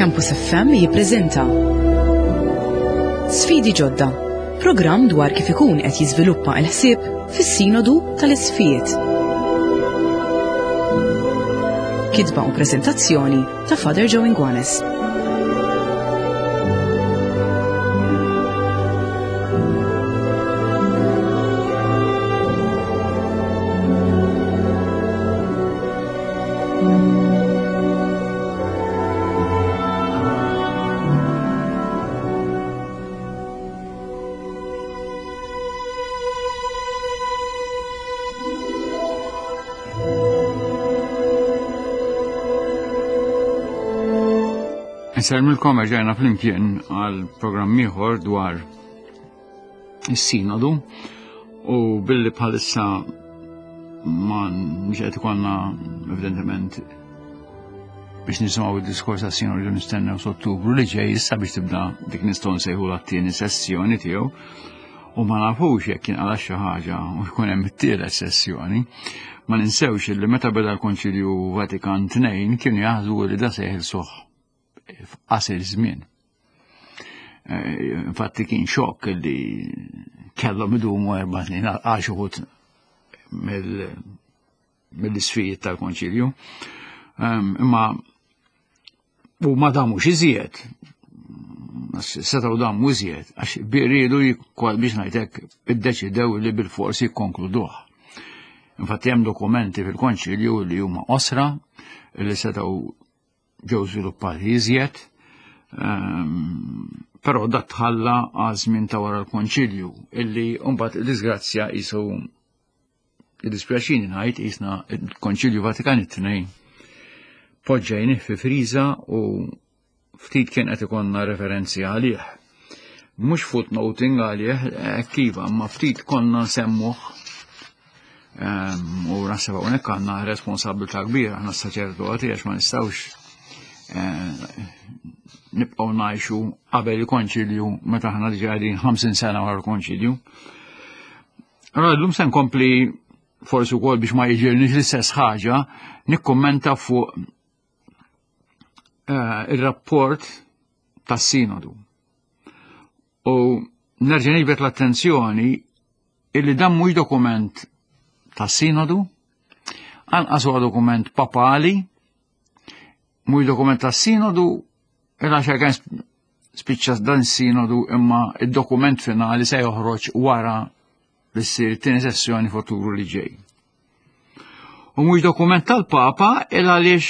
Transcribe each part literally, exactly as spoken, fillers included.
Campus F M jippreżenta Sfidi Ġodda, programm dwar kif ikun qed jiżviluppa l-ħsieb fis-Sinodu tal-Isqfijiet. Kitba u preżentazzjoni ta' Father Joe Inguanes. Insellmilkom erġajna flimkien għal programm ieħor dwar is-sinodu u billi bħalissa ma mhux qed ikollna evidentement biex nisimgħu id-diskors tas-sinodu nistennew s'Ottubru li ġej issa biex tibda dik nistgħu nsejħu t-tieni sessjoni tiegħu u ma nafux jekk jinqala xi ħaġa u jkun hemm it-tielet sessjoni. Ma ninsewx li meta beda l-Konċilju Vatikan tnejn kienu jaħsbu li da se jeħilsuh f'qasir żmien. Infatti kien xokk li kellhom idumu erba' snin għal xi wħud mill-isfijiet tal-Konċilju. Imma u ma damux iżjed, setgħu damu iżjed, għax riedu biex ngħidlek iddeċidew li bil-forsi jikkonkluduh. Infatti hemm dokumenti fil-Konċilju li huma qosra li setgħu ġew żviluppati iżjed, però dat tħalla għal żmien ta' wara l-Konċilju illi mbagħad id-disgrazzja qisu id-dispjaċini ngħid qisna l-Konċilju Vatikan it-tnejn poġġejnih fi friża u ftit kien qed ikollna referenzi għalih. Mhux footnoting għalih, kiva, ma ftit konna nsemmuh. U naħseb hawnhekk għandna responsabilità kbira aħna s-saċerdoti għax ma nistgħux nibqgħu ngħixu qabel il-Konċilju meta aħna diġà qegħdin ħamsin sena wara l-Konċilju. Allora llum se nkompli forsi wkoll biex ma jiġilniex l-istess ħaġa nikkummenta fuq ir-rapport tas-Sinodu. U nerġa' niġbed l-attenzjoni illi dan mhux dokument tas-Sinodu, anqas huwa dokument papali, mhux dokument tas-Sinodu, illa xejn kien spiċċa dan is-Sinodu imma id-dokument finali se joħroġ wara li ssir it-tieni sessjoni f'Ottubru li ġej. U mhux dokument tal-Papa il għaliex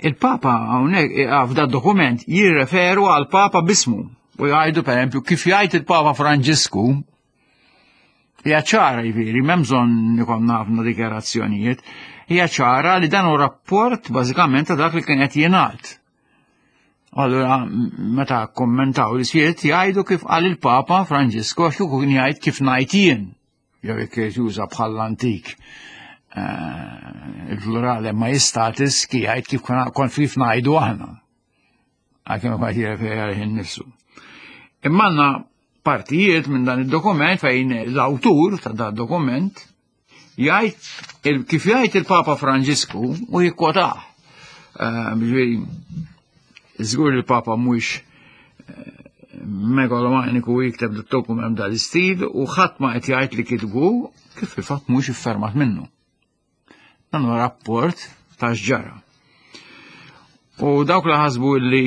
il-Papa hawnhekk f'dan dokument jirreferu għal Papa bismu u jgħidu pereżempju kif jgħid il-Papa Franġisku hija ċara jiġifieri m'hemm bżonn ikollna ħafna dikjarazzjonijiet, hija ċara li dan hu rapport bażikament ta' dak li kien qed jingħad. Allura meta kommentaw l-isfiet jgħidu kif qal il-Papa Franġisku għax kieku kien jgħid kif ngħid jien, jew jekk juża bħall-antik il-plurale majestatis ki jgħid kif kon kif ngħidu aħna. Għalkemm ma jirreferi għalih innifsu. Imma għandna partijiet minn dan id-dokument fejn l-awtur ta' dan id-dokument jgħid kif jgħid il-Papa Franġisku u jikkwotah. Ġifieri żgur il-Papa mhuwiex megalomaniku jikteb d-dokument dal-istil u ħadd ma qed jgħid li kitbu kif fil-fatt mhuwiex iffermat minnu. Dan huwa rapport ta' x'ġara. U dawk li ħasbu li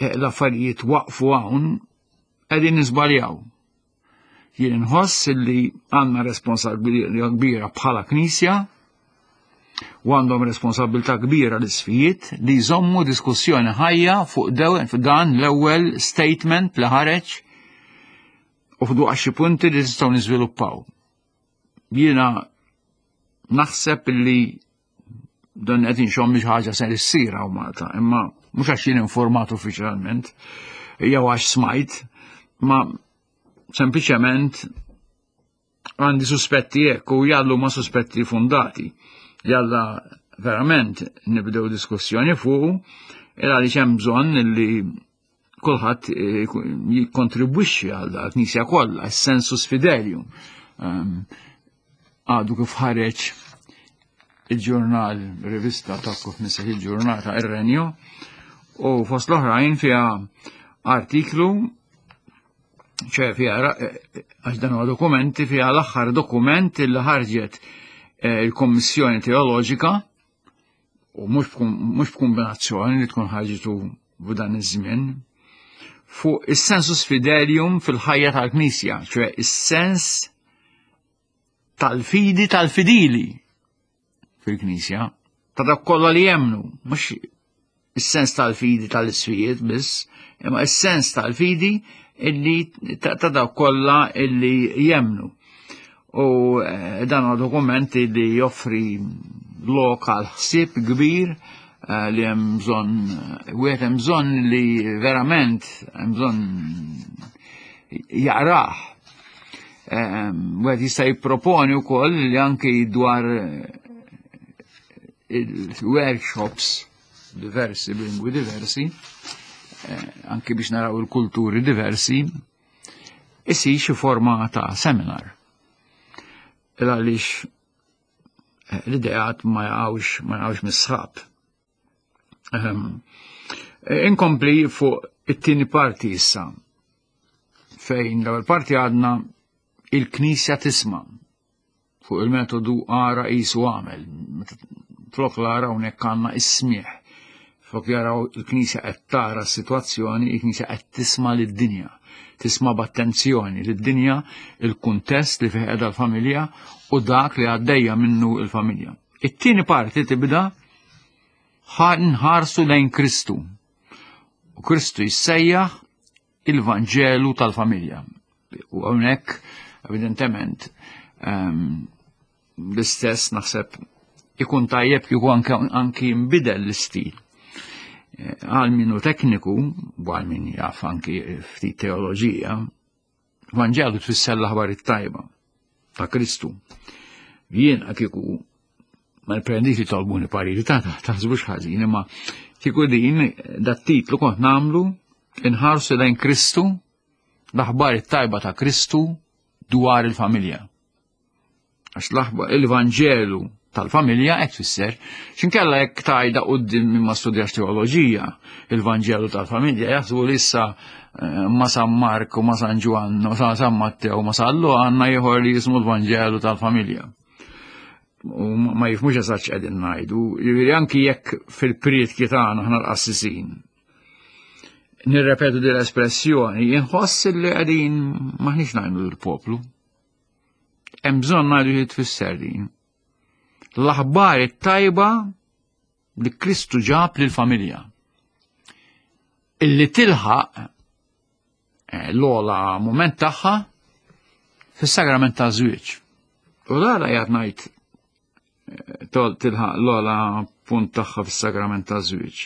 l-affarijiet waqfu hawn qegħdin niżbaljaw. Jien inħoss li għandna responsabilità kbira bħala Knisja u għandhom responsabilità kbira l-isfijiet li jżommu diskussjoni ħajja fuq dan l-ewwel statement li ħareġ u fuq xi punti li nistgħu niżviluppaw. Jiena naħseb li dan qed inxomm xi ħaġa se issir hawn Malta, imma mhux għax jien informat uffiċjalment, jew għax smajt, ma sempliċement għandi suspetti hekk u jallu ma suspetti fundati. Jalla verament nibdew diskussjoni fuq, il għaliex hemm bżonn li kulħadd jikkontribwixxi għal dak, Knisja kollha, s-sensus fidelium. Għadu kif ħareġ il-ġurnal, rivista ta' kif nisseħ il-ġurnata Ir-Renju, u fost l-oħrajn fiha artiklu, ċe fiha, għax dan huwa dokumenti, fiha l-aħħar dokument li ħarġet il-Kommissjoni Teoloġika, u mhux b'kombinazzjoni li tkun ħarġitu f'dan iż-żmien, fuq is-sensus fidelium fil-ħajja tal-Knisja, ċe is-sens tal-fidi tal-fidili fil-Knisja, ta' dak kollha li jemmnu, mhux is-sens tal-fidi tal-isfijiet biss, imma is-sens tal-fidi illi ta' dak kollha illi jemmnu. U dan huwa dokument li joffri lok għal ħsieb kbir li hemm bżonn, wieħed hemm bżonn li verament hemm bżonn jaqrah. Wieħed jista' jipproponi wkoll li anki dwar il-workshops diversi, b'lingwi diversi, anki biex naraw il-kulturi diversi, isir xi forma ta' seminar. Għaliex l-ideat ma jaqgħux ma jaqgħux mis-sħab. Inkompli fuq it-tieni parti issa, fejn l-ewwel parti għadna il-Knisja tisma' fuq il-metodu ara qisu għamel. Flok l-ara hawnhekk għandna is-smieħ. Flok jaraw il-Knisja qed tara s-sitwazzjoni, il-Knisja qed tisma' lid-dinja, tisma' b'attenzjoni lid-dinja, il-kuntest li fih qiegħda l-familja u dak li għaddejja minnu l-familja. It-tieni parti tibda nħarsu lejn Kristu. U Kristu jissejjaħ il-Vanġelu tal-familja. U hawnhekk evidentement l-istess naħseb ikun tajjeb kieku anki jinbidel l-istil. Għal minnu tekniku, u għal min jaf anki ftit teoloġija, Vanġelu tfisser l-aħbar it-tajba ta' Kristu. Jien kieku ma nprendix li tolbuni pariri ta' taħsbux ħażin, imma kieku din dat titlu kont nagħmlu inħarsu lejn Kristu, l-aħbar it-tajba ta' Kristu dwar il-familja. Għax l-aħbar il-Vanġelu tal-familja hekk tfisser, x'inkella jekk tajda quddiem min ma studjax teoloġija, il-Vanġelu tal-familja jaħsbu li issa ma San Mark u ma San Ġwann u ma San Matteo u ma San Luqa għandna ieħor li jismu l-Vanġelu tal-familja. U ma jifhmux eżatt x'qegħdin ngħidu, jiġifieri anki jekk fil-prietki tagħna aħna l-qassisin nirrepetu din l-espressjoni, inħoss li qegħdin maħniex ngħidu lill-poplu. Hemm bżonn ngħidu xi tfisser din. L-aħbar it-tajba li Kristu ġab lill-familja. Illi tilħaq l-ogħla mument tagħha fis-sagrament ta' żwieġ. U dara jgħid ngħid tilħaq l-ogħla punt tagħha fis-sagrament ta' żwieġ.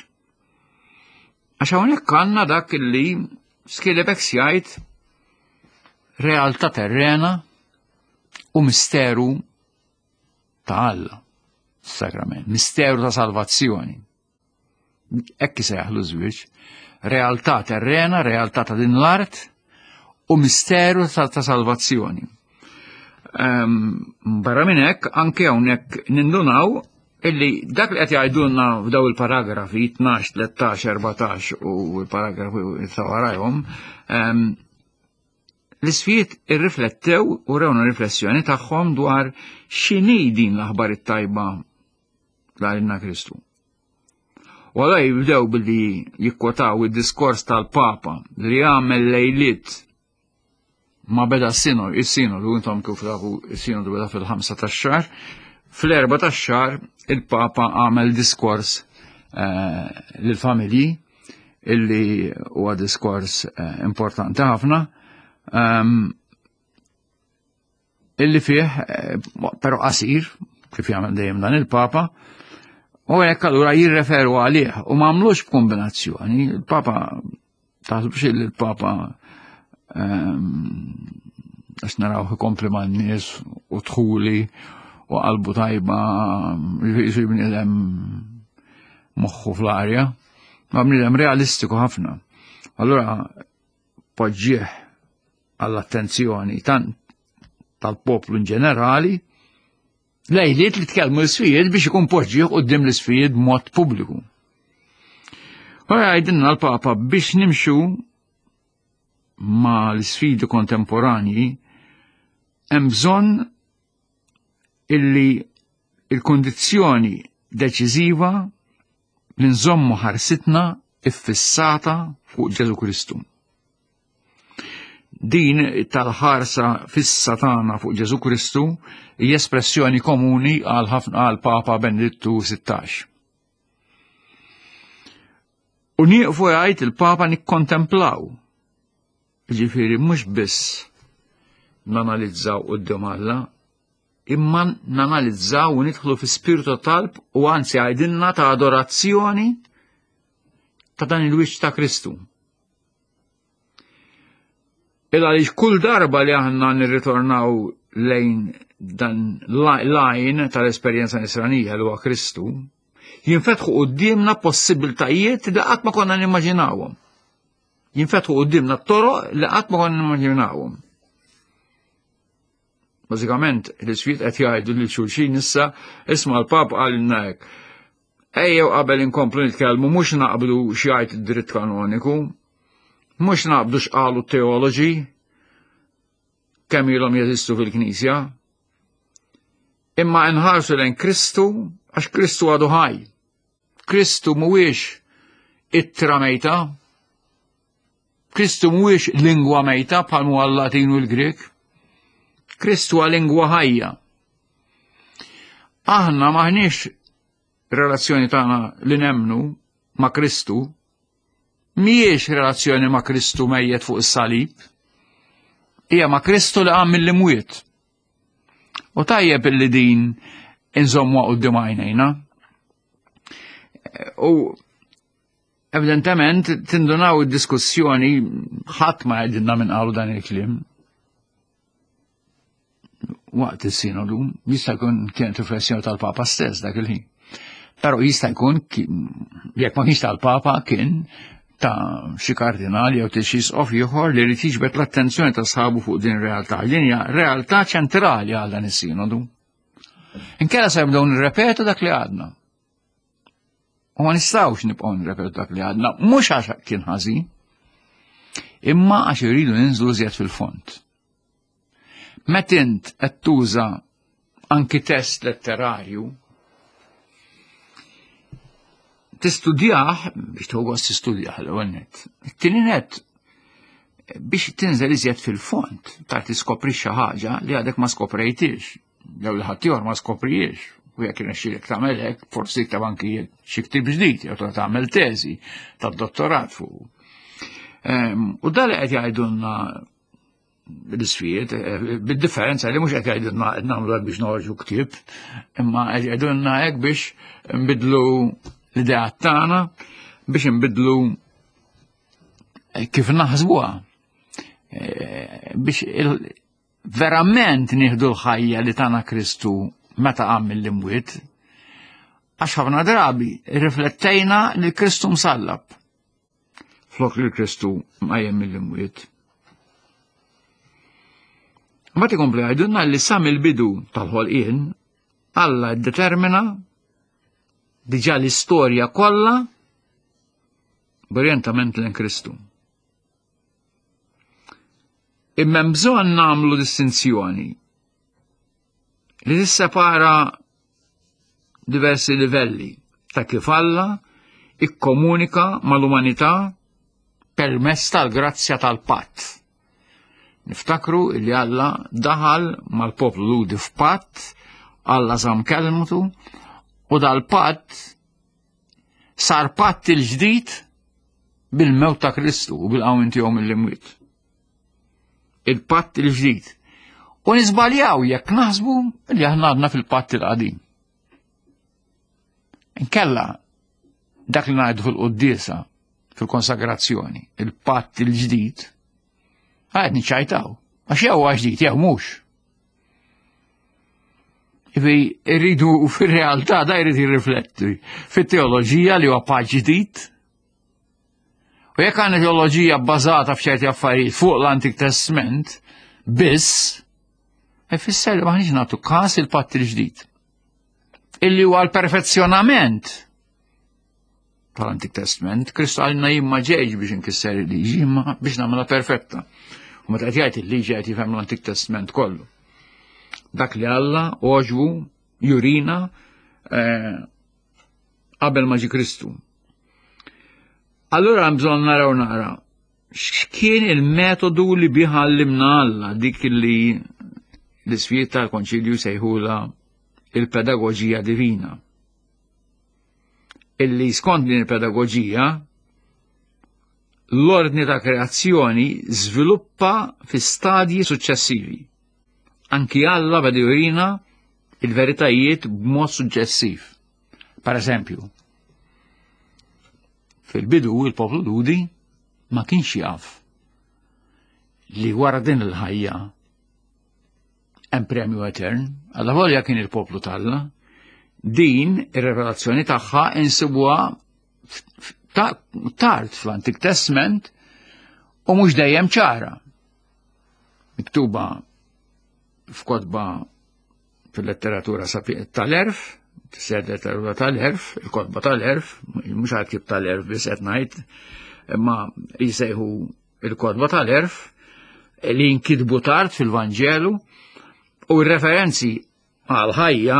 Għax hawnhekk għandna dak illi Schillebeeckx jgħid realtà terrena u misteru ta' Alla, sagrament, misteru ta' salvazzjoni. Hekk isejjaħlu żwieġ, realtà terrena, realtà ta' din l-art u misteru ta', ta salvazzjoni. Um, barra minn hekk, anke hawnhekk nindunaw illi dak li qed jgħidulna f'daw il-paragrafi tnax, tlettax, erbatax u l-paragrafi ta' warajhom, um, l-isfijiet irriflettew u rewna riflessjoni tagħhom dwar x'inhi din l-aħbar it-tajba l Kristu. U għala jibdew billi jikkwotaw id-diskors tal-Papa li għamel lejliet ma beda s-sinodu, il-sinodu, intom kif tafu il-sinodu beda fil-ħamsa tax-xahar, fl-erba tax-xahar il-Papa għamel diskors eh, lill-familji illi huwa diskors eh, importanti ħafna, um, illi fih, eh, però qasir, kif jagħmel dejjem dan il-Papa, u hekk allura jirreferu għalih u ma għamlux b'kombinazzjoni. Il-Papa, taħsbux li il-Papa għax naraw ikompli man-nies u dħuli u qalbu tajba, jisir bniedem moħħu fl-arja, ma bniedem realistiku ħafna. Allura poġġieħ għall-attenzjoni tant tal-poplu in ġenerali Lejliet li tkellmu l-isfijiet biex ikun poġġih quddiem l-isfijiet b'mod pubbliku. Ora jgħidilna l-Papa biex nimxu ma l-sfidi kontemporanji hemm bżonn illi il-kondizzjoni deċiżiva li nżommu ħarsitna iffissata fuq Ġesù Kristu. Din tal-ħarsa fissa tagħna fuq Ġesù Kristu hija espressjoni komuni għal ħafna għal Papa Benedittu sittax. U nieqfu jgħid il-Papa nikkontemplaw. Ġifieri mhux biss nanalizzaw quddiem Alla, imma nanalizzaw u nidħlu fi spiritu ta' talb u anzi għajdilna ta' adorazzjoni ta' dan il-wiċċ ta' Kristu. Il għaliex kull darba li aħna nirritornaw lejn dan l-għajn tal-esperjenza nisranija li huwa Kristu, jinfetħu quddiemna possibiltajiet li qatt ma konna nimmaġinawhom. Jinfetħu quddiemna toroq li qatt ma konna nimmaġinawhom. Bażikament, l-isfijiet qed jgħidu lil xulxin issa, isma' l-Papa qalilna hekk. Ejjew qabel inkomplu nitkellmu mhux naqblu x'jgħid id-dritt kanoniku, mhux naqblu x'qalu t-teoloġi kemm ilhom jeżistu fil-Knisja, imma nħarsu lejn Kristu għax Kristu għadu ħaj. Kristu mhuwiex ittra mejta, Kristu mhuwiex lingwa mejta bħal huwa l-Latin u l-Grek. Kristu huwa lingwa ħajja. Aħna maħniex relazzjoni tagħna li nemmnu ma' Kristu mhijiex relazzjoni ma' Kristu mejjet fuq is-salib, hija ma' Kristu li qam mill-imwiet. U tajjeb illi din inżommuha quddiem għajnejna. U evidentement tindunaw id-diskussjoni ħadd ma jgħidilna minn qalu dan il-kliem. Waqt is-sinodu jista' jkun kienet riflessjoni tal-Papa stess dak il-ħin. Però jista' jkun jekk ma kienx tal-Papa kien ta' xi kardinali jew xi isqof ieħor li jrid jiġbed l-attenzjoni ta' sħabu fuq din ir-realtà. Din hija realtà ċentrali għal dan is-sinodu. Inkella se nibdew nirrepetu dak li għadna. U ma nistgħux nibqgħu nirrepetu dak li għadna, mhux għax kien ħażin, imma għax iridu ninżlu żjed fil-fond. Meta int qed tuża anki test letterarju, tistudjah biex tieħu gost tistudjah l-ewwel nett. It-tieni nett biex tinżel iżjed fil-fond, ta' tiskopri xi ħaġa li għadek ma skoprejtix, jew li ħadd ieħor ma skopriex. U jekk irnexxielek tagħmel hekk, forsi tikteb anki xi ktieb ġdid jew tagħmel teżi tad-dottorat fuq. U dan li qed jgħidulna l-isfijiet, bid-differenza li mhux qed jgħidulna qed nagħmlu hekk biex noħorġu ktieb, imma qed jgħidulna hekk biex nbidlu l-idea tagħna, biex nbidlu kif naħsbuha, biex verament nieħdu l-ħajja li tana Kristu meta qam mill-imwiet, għax ħafna drabi riflettejna li Kristu msallab flok li Kristu qajjem mill-imwiet. Mbagħad ikomplu jgħidulna li sa mill-bidu tal-ħolqien Alla ddetermina diġà l-istorja kollha b'orjentament lejn Kristu. Imma hemm bżonn nagħmlu distinzjoni li tissepara diversi livelli ta' kif Alla ikkomunika mal-umanità permezz tal-grazzja tal-patt. Niftakru li Alla daħal mal-poplu Lhudi f'patt, Alla żamm kelmtu, u dal-patt sar patt il-ġdid bil-mewt ta' Kristu u bil-qawmien tiegħu mill-imwiet. Il-patt il-ġdid. U niżbaljaw jekk naħsbu li aħna għadna fil-patt il-qadim. Inkella dak li ngħidu fil-quddiesa, fil-konsagrazzjoni, il-patt il-ġdid, għad niċċajtaw. Għax jew huwa ġdid jew mhux. Ivi rridu fir-realtà da jrid jirrifletti fit-teoloġija li huwa patt ġdid. U jekk għandna teoloġija bbażata f'ċerti affarijiet fuq l-Antik Testament biss, ifisser li maħniex nagħtu każ il-patt il-ġdid. illi huwa l-perfezzjonament tal-Antik Testament. Kristu għalina jien ma ġejx biex inkisser il-liġi, imma biex nagħmilha perfetta. U meta qed jgħid il-liġi qed jifhem l-Antik Testament kollu. Dak li Alla għoġbu jurina eh, qabel ma ġie Kristu. Allura hemm bżonn naraw nara x'kien il-metodu li bih għallimna Alla, dik li l-isfijiet tal-Konċilju sejħula il-pedagogija divina. Illi skont din il-pedagogija l-ordni ta' kreazzjoni żviluppa fi stadji suċċessivi. Anki Alla beda jurina il-veritajiet b'mod suċċessiv. Per eżempju, fil-bidu il-poplu Lhudi ma kienx jaf li wara din il-ħajja hemm premju etern, alla volja kien il-poplu t'Alla, din ir-revelazzjoni tagħha insibuha tard fl-Antik Testament u mhux dejjem ċara. Miktuba f'kotba fil-letteratura tal-erf, tisser letteratura tal-erf, il-kotba tal-erf, mhux għal ktieb tal-erf biss qed ngħid, imma jisejħu il-kotba tal-erf li jinkitbu tard fil-Vanġelu u r-referenzi għal ħajja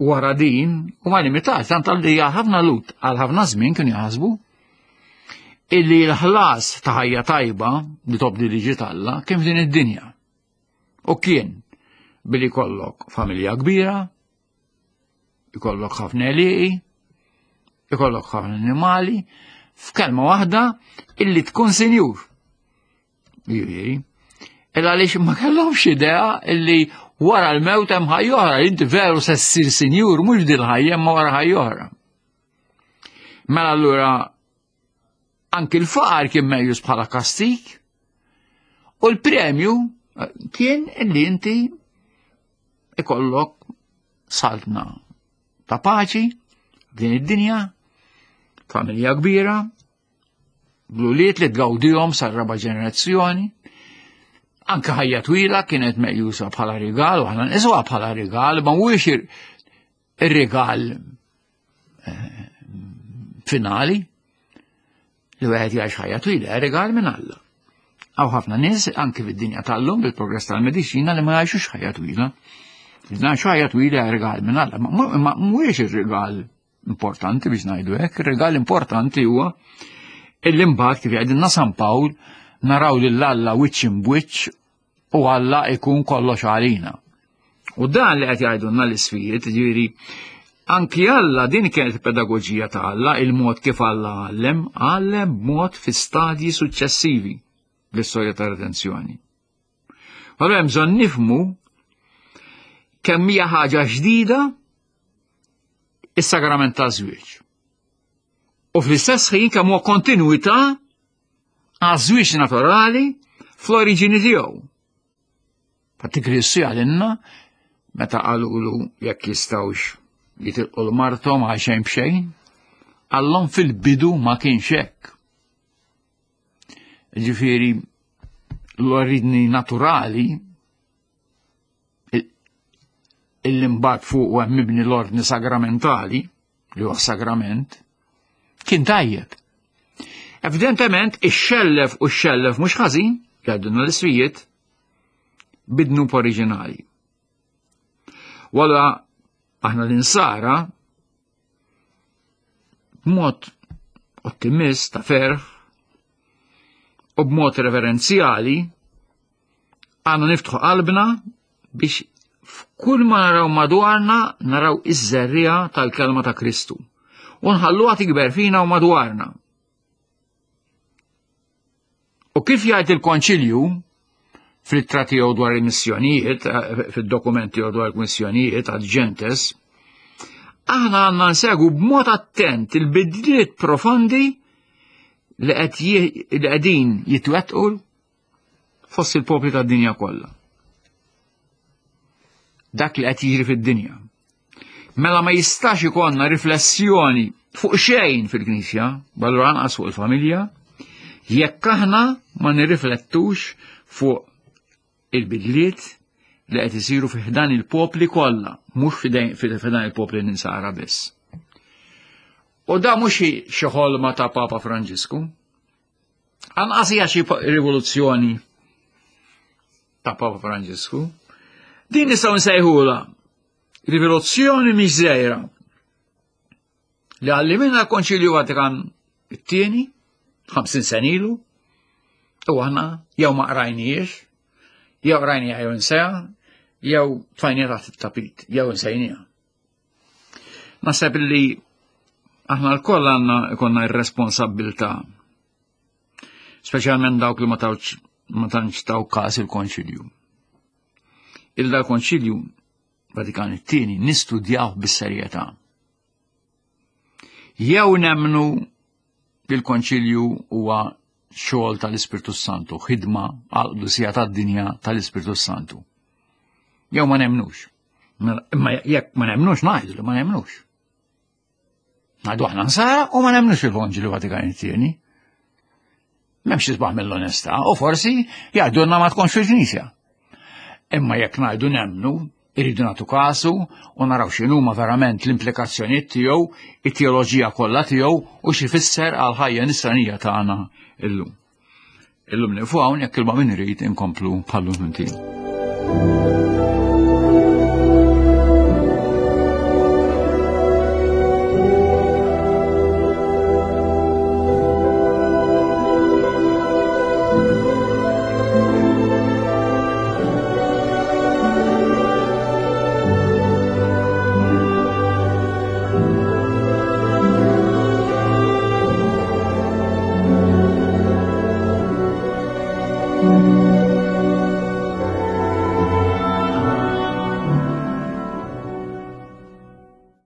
wara din huma limitati, tant li ħafna Lhud għal ħafna żmien kienu jaħsbu illi l-ħlas ta' ħajja tajba li tobdi liġi t'Alla kien f'din id-dinja. U kien billi jkollok familja kbira, ikollok ħafna għelieqi, ikollok ħafna annimali, f'kelma waħda illi tkun sinjur. Jiġifieri, illa għaliex ma kellhomx idea illi wara l-mewt hemm ħajja oħra, inti veru se ssir sinjur mhux din ħajja imma wara ħajja oħra. Mela allura anki l-faqar kien meqjus bħala kastik u l-premju kien illi inti ikollok saltna ta' paċi din id-dinja, familja kbira, bl-ulied li tgawdihom sar-raba' ġenerazzjoni. Anke ħajja twila kienet meqjusa bħala rigal, u aħna nqisuha bħala rigal, ma mhuwiex ir-rigal finali li wieħed jgħix ħajja twila, rigal minn Alla. Hawn ħafna nies anke fid-dinja tal-lum bil-progress tal-mediċina li ma jgħixux ħajja twila. Ngħixu ħajja twila rigal minn Alla, ma mhuwiex ir-rigal importanti biex ngħidu hekk, ir-rigal importanti huwa illi mbagħad kif jgħidilna San Pawl naraw lil Alla wiċċ imbwiċċ u Alla ikun kollox għalina. U dan li qed jgħidulna l-isfijiet, ġifieri anki Alla din kienet il-pedagogija ta' Alla, il-mod kif Alla għallem, għallem b'mod fi stadji suċċessivi l-istorja ta' redenzjoni. Allura hemm bżonn nifhmu kemm hija ħaġa ġdida is-sagrament ta' żwieġ. U fl-istess ħin kemm huwa kontinwità għaż-żwieġ naturali fl-oriġini tiegħu. Fatti Kristu jgħalinna meta qalulu jekk jistgħux jitilqu l-marthom għal xejn b'xejn, qallhom fil-bidu ma kienx hekk. Ġifieri l-oriġini naturali illi mbagħad fuq hemm mibni l-ordni sagramentali, li huwa sagrament, kien tajjeb. Evidentement, ix-xellef u x-xellef mhux ħażin, jgħidulna l-isfijiet, bid-dnub oriġinali. Walla aħna l-insara, b'mod ottimist ta' ferħ u b'mod reverenzjali, għandna niftħu qalbna biex f'kull ma naraw madwarna naraw iż-żerriegħa tal-kelma ta' Kristu. U nħalluha tikber fina u madwarna. U kif jgħid il-Konċilju fl-ittra tiegħu dwar il-missjonijiet, fid-dokumenti tiegħu dwar il-missjonijiet ad gentes, aħna għandna nsegwu b'mod attent il-bidliet profondi li qed li qegħdin jitwettqu fost il-popli tad-dinja kollha. Dak li qed jiġri fid-dinja. Mela ma jistax ikollna riflessjoni fuq xejn fil-Knisja, allura anqas fuq il-familja, jekk aħna ma nirriflettux fuq il-bidliet li qed isiru fi ħdan il-popli kollha, mhux fi ħdan il-popli ninsara biss. U da mhux xi ħolma ta' Papa Franġisku. Anqas hija xi rivoluzzjoni ta' Papa Franġisku. Din nistgħu nsejħulha rivoluzzjoni mhix żgħira li għallimna l-Konċilju Vatikan it-tieni, ħamsin sena ilu, u aħna jew ma qrajniex, jew qrajniha jew insejha, jew tfajniha taħt it-tapit, jew insejniha. Naħseb li aħna lkoll għandna ikollna r-responsabbiltà, speċjalment dawk li ma tawx ma tantx taw każ il-Konċilju. Il dal-Konċilju Vatikan it-tieni nistudjaw bis-serjetà. Jew nemmnu li l-Konċilju huwa xogħol tal-Ispirtu Santu, ħidma għall-qdusija tad-dinja tal-Ispirtu Santu. Jew ma nemmnux. Imma jekk ma nemmnux ngħidu li ma nemmnux. Ngħidu aħna nsara u ma nemmnux il-Konċilju Vatikan it-tieni. M'hemmx isbaħ mill-onestà u forsi jgħidulna ma tkunx fil-Knisja. Imma jekk ngħidu nemmnu, irridu nagħtu kasu u naraw x'inhuma verament l-implikazzjonijiet tiegħu, it-teoloġija kollha tiegħu u x'ifisser għal ħajja nisranija tagħna illum. Illum nieqfu hawn, jekk il min irid inkomplu bħallu.